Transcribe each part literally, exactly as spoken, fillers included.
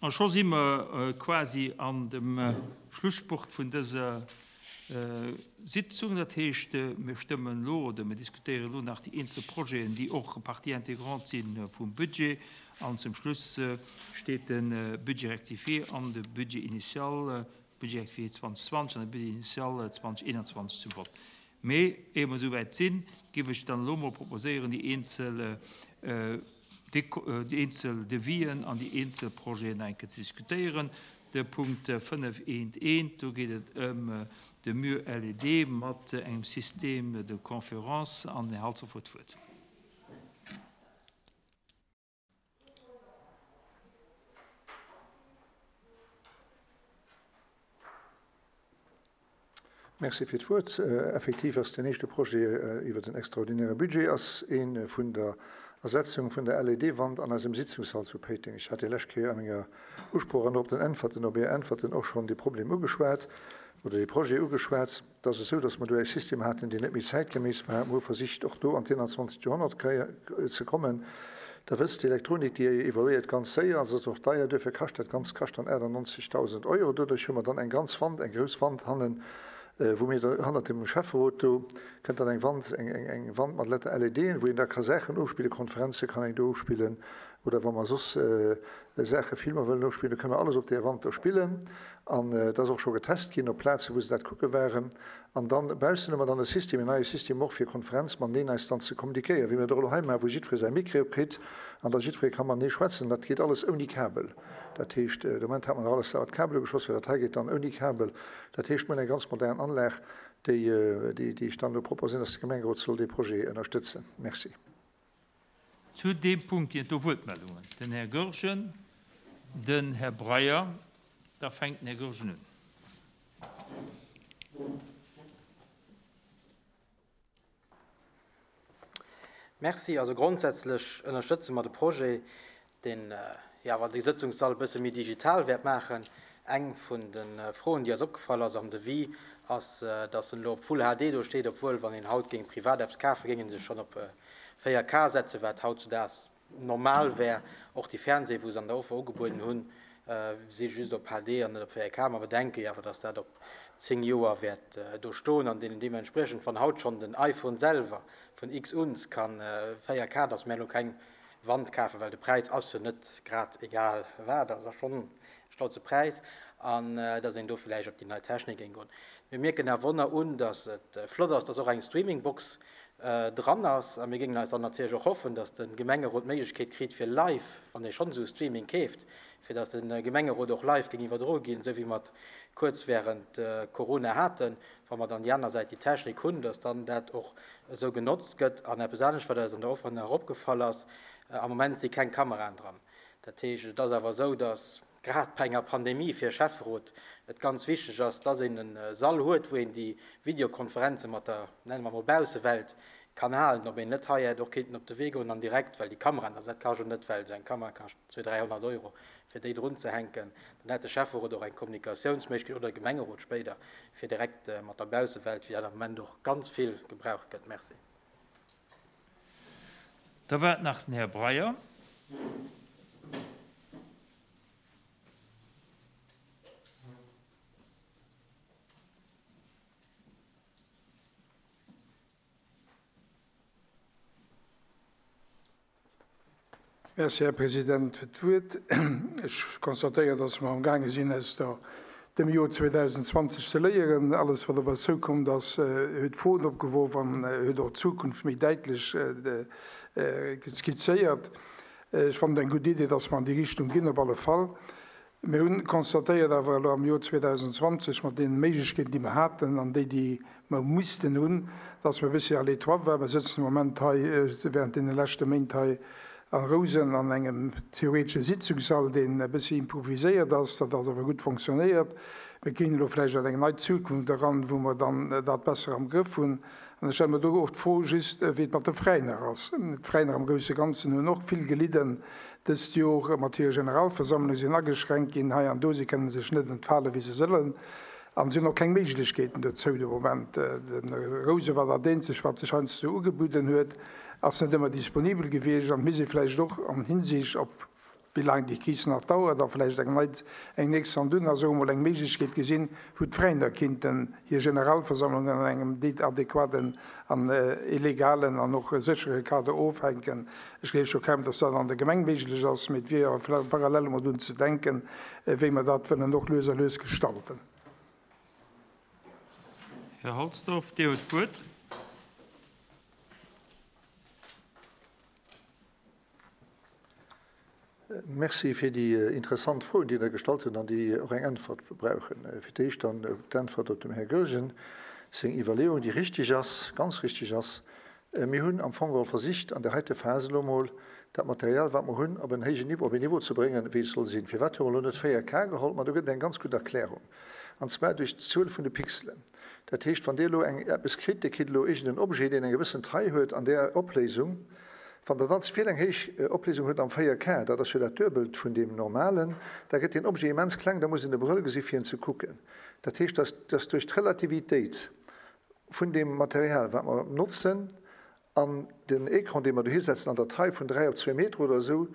A scho si mer quasi an dem Schlusspurt vun dëser Sitzung. Dat heescht, mir stëmmen elo oder mir diskutéieren elo nach déi eenzel Projeten, déi och Partie intégrante si vum Budget. An zum Schluss steet de Budget rectifié an de Budget initial, Budget rectifié zweitausendzwanzeg an de Budget initial zweitausendeinundzwanzeg zum Vott. Mee ehe mer esouwäit sinn, géif ech dann elo mol proposéieren, déi eenzel, déi eenzel Devisen an déi eenzel Projeten eng Kéier ze diskutéieren. De Punkt fënnef eent eent, do geet et ëm de Mur L E D mat engem Système de conférence an den Här Halsdorf huet d'Wuert. Merci fir d'Wuert. Effektiv ass den éischte Projet iwwer den extraordinäre Budget ass een vun der Ersetzung vun der L E D-Wand an eisem Sitzungssall zu Péiteng. Ech hat déi lescht Kéier a menger Usproch an op den Äntwerten, op Är Äntwerten och schonn dee Problem ugeschwat oder dee Projet ugeschwat. Et ass esou, datt mer do e System haten, deen net méi zäitgeméiss war. Mir hu versicht, och do an d'einundzwanzegt Joerhonnert ze kommen. Da wësst, d'Elektronik, déi evoluéiert ganz séier, se ass och deier, duerfir kascht dat Ganzt kascht dann achtundneunzigtausend Euro. Doduerch hu mer dann eng ganz Wand, eng grouss Wand hannen, wou mir da hannert dem Schäfferot do kënnt dann eng Wand, eng, eng, eng Wand mat Letter L E D, wou een da ka Saachen ofspillen, Konferenze kann een do ofspillen, oder wa mer soss, äh, Saache, Filmer wëllen ofspillen, da kënne mer alles op där Wand do spillen. An, äh, dat ass och scho getest ginn op Plaze, wou se dat kucke waren. An dann baussen hu mer dann e System, en neie System och fir Konferenz mateneen eis dann ze kommunikéieren, wéi mir dat och elo hei maachen, wou jiddweree säi Mikro kritt an da jiddweree kann matenee schwätzen. Dat geet alles ouni Kabel. Dat heescht, de Moment hat man nach alles mat Kabel ugeschloss, well dat hei geet dann ouni Kabel. Dat heescht, mir hunn eng ganz modern Anlag, déi, déi, déi ech dann elo proposéieren, dass de Gemengerot soll dee Projet ënnerstëtzen. Merci. Zu dem Punkt ginn et do Wuertmeldungen. Den Här Goergen, den Här Breyer, da fänkt den Här Goergen un. Merci. Also grundsätzlich ënnerstëtze mer de Projet, den, ja, wann de Sitzungssall e bësse méi digital wäert maachen. Eng vun den Froen, déi eis opgefall ass am Devis, ass, dass en elo op Full H D do steet, obwuel, wann een haut géing privat Apps kafen, géingen se schonn op véier K setzen, wat hautzudags normal wär. Och déi Fernseh, wou se an der Offer ugebueden hunn, si just op H D an net op véier K. Ma bedenke jo awer, dass dat op zéng Joer wäert do stoen an deenen deementsprechend, wann haut schonn den iPhone selwer vun X uns kann véier K, dass mir elo keng Wand kaufen, well de Preis ass jo net grad egal wat, das ass schon e stolze Preis, an dass een do vielleicht op déi nei Technik géing goen. Mir mierken awer wonner un, dass et flott ass, dass och eng Streamingbox dran ass, a mir géingen eis dann natierlech och hoffen, dass de Gemengerot d'Méiglechkeet kritt fir live, wann ee schonn esou Streaming keeft, fir dass de Gemengerot och live géing iwwerdroe ginn, esou wéi mer kuerz während Corona haten, wa mer dann déi aner Säit déi Technik hunn, dass dann dat och esou genotzt gëtt. An eppes anescht, wat eis an der Offer nach opgefall ass, am Moment si keng Kameraen dran. Dat heescht, et ass awer esou, dass grad bei enger Pandemie fir Schäfferot et ganz wichteg ass, dass een en Sall huet, wou een déi Videokonferenze mat der, nennen wir mal, Baussewelt kann halen, ob een net hei hätt och kéinten op de Wee goen an direkt, well déi Kameraen, also dat kascht jo net, well esou eng Kamera kascht zweihundert, dreihundert Euro, fir déi drun ze hänken, dann hätt de Schäfferot och eng Kommunikatiounsméiglechkeet oder de Gemengerot spéider, fir direkt mat der Baussewelt, wéi dat am Moment och ganz vill gebraucht gëtt. Merci. Da war nach den Här Breyer. Merci, Herr Präsident, fir d'Wuert. Ech konstatéiere, dass mer am Gaange sinn, aus der, dem Joer zweitausendzwanzeg ze léieren. Alles, wat op eis zukommt, ass, huet Froen opgeworfen an huet och d'Zukunft méi däitlech skizzéiert. Ech fand eng gutt Idee, dass mer an déi Richtung ginn, op alle Fall. Mir hunn konstatéiert awer elo am Joer zweitausendzwanzeg mat den Méiglechkeeten, déi mer haten an déi, déi mer missten hunn, dass mer e bëssi à l'étroit waren. Mir sëtzen am Moment hei, während deene leschte Méint hei an Rousen an engem theoretischen Sitzungssall, deen e bëssi improviséiert ass, dat ass awer gutt funktionéiert. Mir ginn elo vläicht an eng nei Zukunft eran, wou mer dann dat besser am Grëff hunn. An ech stelle mir do och d'Fro just, wéi et mat de Veräiner ass. D'Veräiner am Grousse Ganzen hunn och vill gelidden dëst Joer mat hirer Generalversammlung, sinn ageschränkt ginn hei an do, sie kënnen sech net entfalen, wéi se sollen. An si hunn och keng Méiglechkeeten dozou de Moment. Den Rouse war dat eenzeg, wat sech heiansdo ugebueden huet, ass net ëmmer disponibel gewiescht an mir si vläicht och an Hinsicht op wéi laang déi Kris nach dauert, a vläicht eng nei, eng nächst an dunn ass och emol eng Méiglechkeet gesinn, wou d'Veräiner kinnten hir Generalversammlungen an engem adequaten an legalen an och séchere Kader ofhänken. Ech gleef scho kaum, dass dat an der Gemeng méiglech ass, mee et wier awer parallel emol drun ze denken, wéi mer dat wëllen och lues a lues gestalten. Här Halsdorf, Dir hutt d'Wuert. Merci fir déi interessant Froen, déi Der gestallt hutt an déi och eng Äntwert brauchen. Fir d'éischt dann d'Äntwert op dem Här Goergen seng Iwwerleeung, déi richtig ass, ganz richtig ass. Mir hunn am Fong geholl versicht, an där heite Phas elo emol dat Material, wat mer hunn, op en héijen Niveau, op en Niveau ze bréngen, wéi et soll sinn. Firwat hu mer elo net véier K geholl? Ma do gëtt et eng ganz gutt Erklärung, an zwar duerch d'Zuel vun de Pixelen. Dat heescht, wann Dir elo eng eppes kritt, Dir kritt elo iergend en Objet, deen eng gewëssen Taille huet an där Opléisung, wann Der dann ze vill eng héich Opléisung hutt am véier K, dat ass jo dat Duebelt vun deem normalen, da gëtt deen Objet immens kleng, da muss een e Brëll gesi fir en ze kucken. Dat heescht, dass, dass duerch d'Relativitéit vun deem Material, wat mer notzen, an den Écran, dee mer dohi setzen, an der Taille vun dräi op zwee Meter oder esou,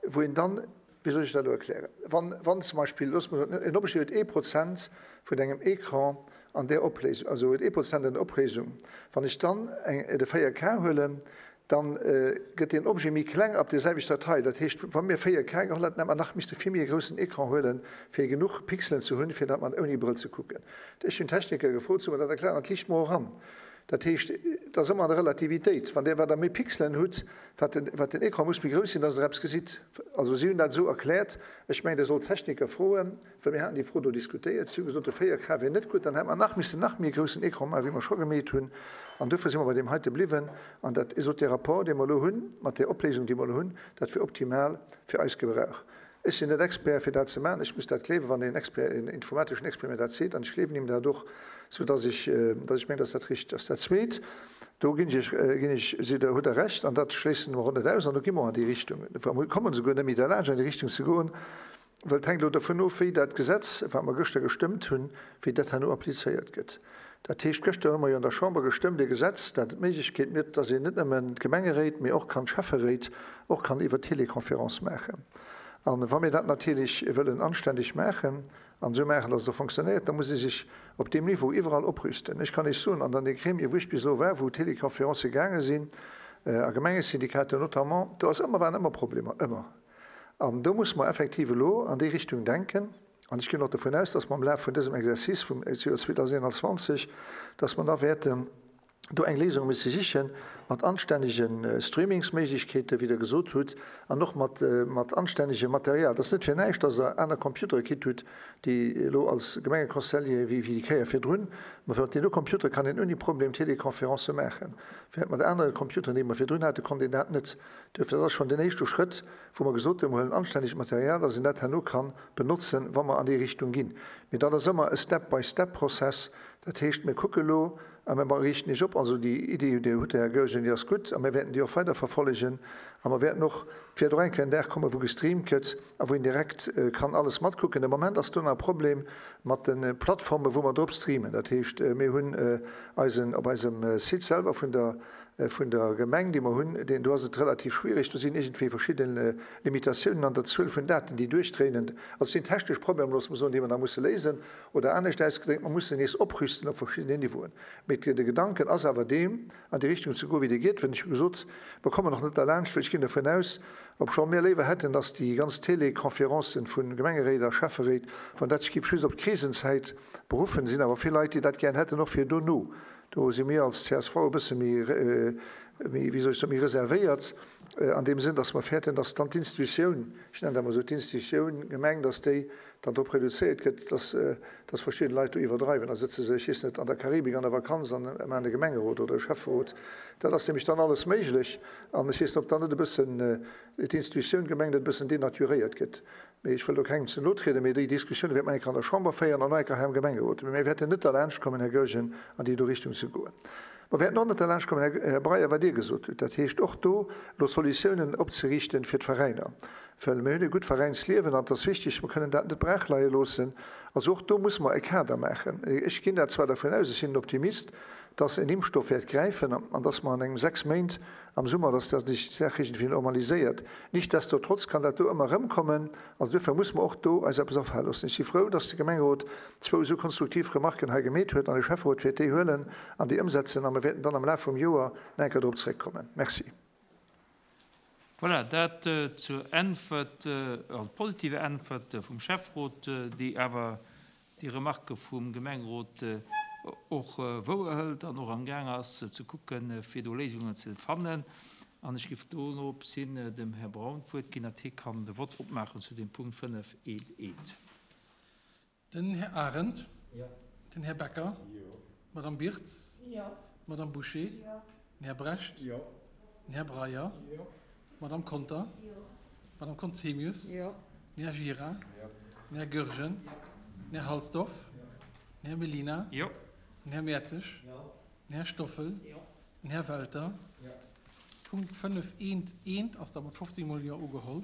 wou een dann, wéi soll ech dat elo erklären, wann, wann zum Beispill, loosse mer soen, en Objet huet ee Prozent vun engem Écran an där Opléisung, also huet ee Prozent an der Opléisung, wann ech dann eng, de véier K huelen, dann gëtt deen Objet méi kleng ab der selwechter Taille. Dat heescht, wa mir véier K geholl hätten, hätte mer nach misste vill méi e groussen Écran huelen, fir genuch Pixelen ze hunn, fir dat mat ouni Brëll ze kucken. Ech hunn Techniker gefrot, se hu mer dat erkläert, an et liicht mer och an. Dat heescht, et ass ëmmer an der Relativitéit. Wann Dir wat Der méi Pixelen hutt, wat den, wat den Écran muss méi grouss sinn, dass Der eppes gesitt. Also si hunn dat esou erkläert. Ech mengen, Dir sollt Techniker froen, well mir haten déi Fro do diskutéiert. Si hu gesot, de véier K wier net gutt, dann hätte mer nach missen nach méi e groussen Écran maachen, wéi mer scho gemeet hunn. An dofir si mer bei deem heite bliwwen. An dat, sot dee Rapport, dee mer elo hunn, mat där Opléisung, déi mer elo hunn, dat wier optimal fir eis Gebrauch. Ech sinn net Expert, fir dat ze maachen. Ech muss dat gleewen, wann een Expert, een informateschen Expert mir dat seet. An ech gleewen him dat och, soudass ech, dass ech mengen, dass dat richteg ass. Dat Zweet, do ginn ech, ginn ech, sidd Der, hutt Der Recht, an dat schléissen mer och net aus, an do gi mer och an déi Richtung. Mer kommen esouguer net méi derlaanscht, an déi Richtung ze goen, well et hänkt elo dovun of, wéi dat Gesetz, wat mer gëschter gestëmmt hunn, wéi dat herno applizéiert gëtt. Dat heescht, gëschter hu mer jo an der Chamber gestëmmt e Gesetz, dat d'Méiglechkeet gëtt, dass een net nëmmen d'Gemengeréit, mee och kann d'Schäfferéit och kann iwwer Téléconférence maachen. An wa mir dat natierlech wëllen anständeg maachen an esou maachen, dass et och fonctionnéiert, da muss ee sech op deem Niveau iwwerall oprüsten. Ech kann Iech soen, an an de Gremie, wou ech bis elo war, wou Téléconférencë gaange sinn, a Gemengesyndikater notamment, do ass ëmmer, waren ëmmer Problemer, ëmmer. An do muss mer effektiv elo an déi Richtung denken. An ech ginn och dovun aus, dass mer am Laf vun dësem Exercice vum Joer zweedausendeenanzwanzeg, dass mer da wäerten do eng Léisung musse sichen mat anstännege Streamingsméiglechkeeten, wéi Der gesot hutt, an och mat, mat anstännegem Material. Et ass net fir näischt, dass Der aner Computere kritt hutt, déi elo als Gemengeconseiller wéi déi Kéier virdrun. Mä mat deene Computere kann een ouni Problem Teleconferencë maachen, während mat anere Computeren, déi mer virdrun haten, konnt een dat net. Duerfir, dat ass schonn den éischte Schrëtt, wou mer gesot hunn, mer huelen anstännegt Material, dass een dat herno ka benotzen, wa mer an déi Richtung ginn. Mee dat ass ëmmer e Step-by-Step-Prozess. Dat heescht, mir kucke elo a mir riichten Iech op. Also déi Iddi, déi hutt Der, Här Goergen, déi ass gutt a mir wäerten déi och weiderverfollegen. A mer wäerten och, et wäert och eng Kéier en Dag kommen, wou gestreamt gëtt a wou een direkt kann alles matkucken. De Moment ass do nach e Problem mat de Plattformen, wou mer drop streamen. Dat heescht, mir hunn eisen, op eisem Site selwer vun der, vun der Gemeng, déi mer hunn, deen, do ass et relativ schwierig, do sinn iergendwéi verschidde Limitatiounen an der Zuel vun Daten, déi duerchdréinen. Also et sinn technesch Problemer, loosse mer soen, déi mer nach musse léisen, oder anescht ausgedréckt, mer mussen nees oprüsten op verschiddenen Niveauen. Mee de Gedanken ass awer deem, an déi Richtung ze goen, wéi Dir gitt. Well ech hu gesot, mer kommen och net derlaanscht, well ech ginn dovun aus, obscho mir léiwer hätten, dass déi ganz Teleconférencen vu Gemengeréit a Schäfferéit, wann dat sech géif just op d'Krisenzäit beruffen, sinn awer vill Leit, déi dat gären hätten, och fir dono. Do si mir als C S V e bësse méi, méi, wéi soll ech soen, méi reservéiert, an deem Sënn, dass mer fäerten, dass dann d'Institutioun, ech nennen dat emol esou, d'Institutioun Gemeng, dass déi dann drop reduzéiert gëtt, dass, dass verschidde Leit do iwwerdreiwen. Da sëtze se, ech weess net, an der Karibik an der Vakanz an maachen e Gemengerot oder e Schäfferot. Dat ass nämlech dann alles méiglech. An ech weess net, ob dann net e bëssen d'Institutioun Gemeng net e bëssen denaturéiert gëtt. Mee ech wëll do kengem ze no trieden, mee déi Diskussioun wäerte mer eng Kéier an der Chamber féieren an och eng Kéier hei am Gemengerot. Mee mir wäerten net derlaanscht kommen, Här Goergen, an déi do Richtung ze goen. Mer wäerten och net derlaanscht kommen, Här Breyer, wat Dir gesot hutt, dat heescht och do elo Solutiounen opzeriichten fir d'Veräiner. Well mir hunn e gutt Veräinsliewen an et ass wichtig, mer kënnen dat net braachleie loossen. Also och do musse mer e Kader maachen. Ech ginn dat zwar dervun aus, ech sinn en Optimist, dass en Impfstoff wäert gräifen an dass mer an engem sechs Méint am Summer, dass dat sech d'Saach iergendwéi normaliséiert. Nichtsdestotrotz kann dat do ëmmer erëmkommen. Also duerfir muss mer och do eis eppes afale loossen. Ech si frou, dass de Gemengerot zwou esou konstruktiv Remarken hei gemeet huet an de Schäfferot wäert déi huelen an déi ëmsetzen a mer wäerten dann am Laf vum Joer nach eng Kéier drop zréckkommen. Merci. Voilà, dat zur Äntwert, also positiver Äntwert vum Schäfferot, déi awer déi Remarque vum Gemengerot och wouerhëlt an och am Gaang ass ze kucken, fir do Léisungen ze fannen. An ech géif doropshin dem Här Braun d'Wuert ginn, datt hie kann de Vott opmaachen zu dem Punkt fënnef eent eent. Den Här Arendt. Jo. Den Här Becker. Jo. D'Madame Birtz. Jo. D'Madame Bouché. Jo. Den Här Brecht. Jo. Den Här Breyer. Jo. D'Madame Conter. Jo. D'Madame Conzemius. Jo. Den Här Gira. Jo. Den Här Goergen. Jo. Den Här Halsdorf. Jo. Den Här Mellina. Jo. Den Här Mertzig. Jo. Den Här Stoffel. Jo. Den Här Welter. Jo. Punkt fënnef eent eent ass da mat fofzéng mol Jo ugeholl.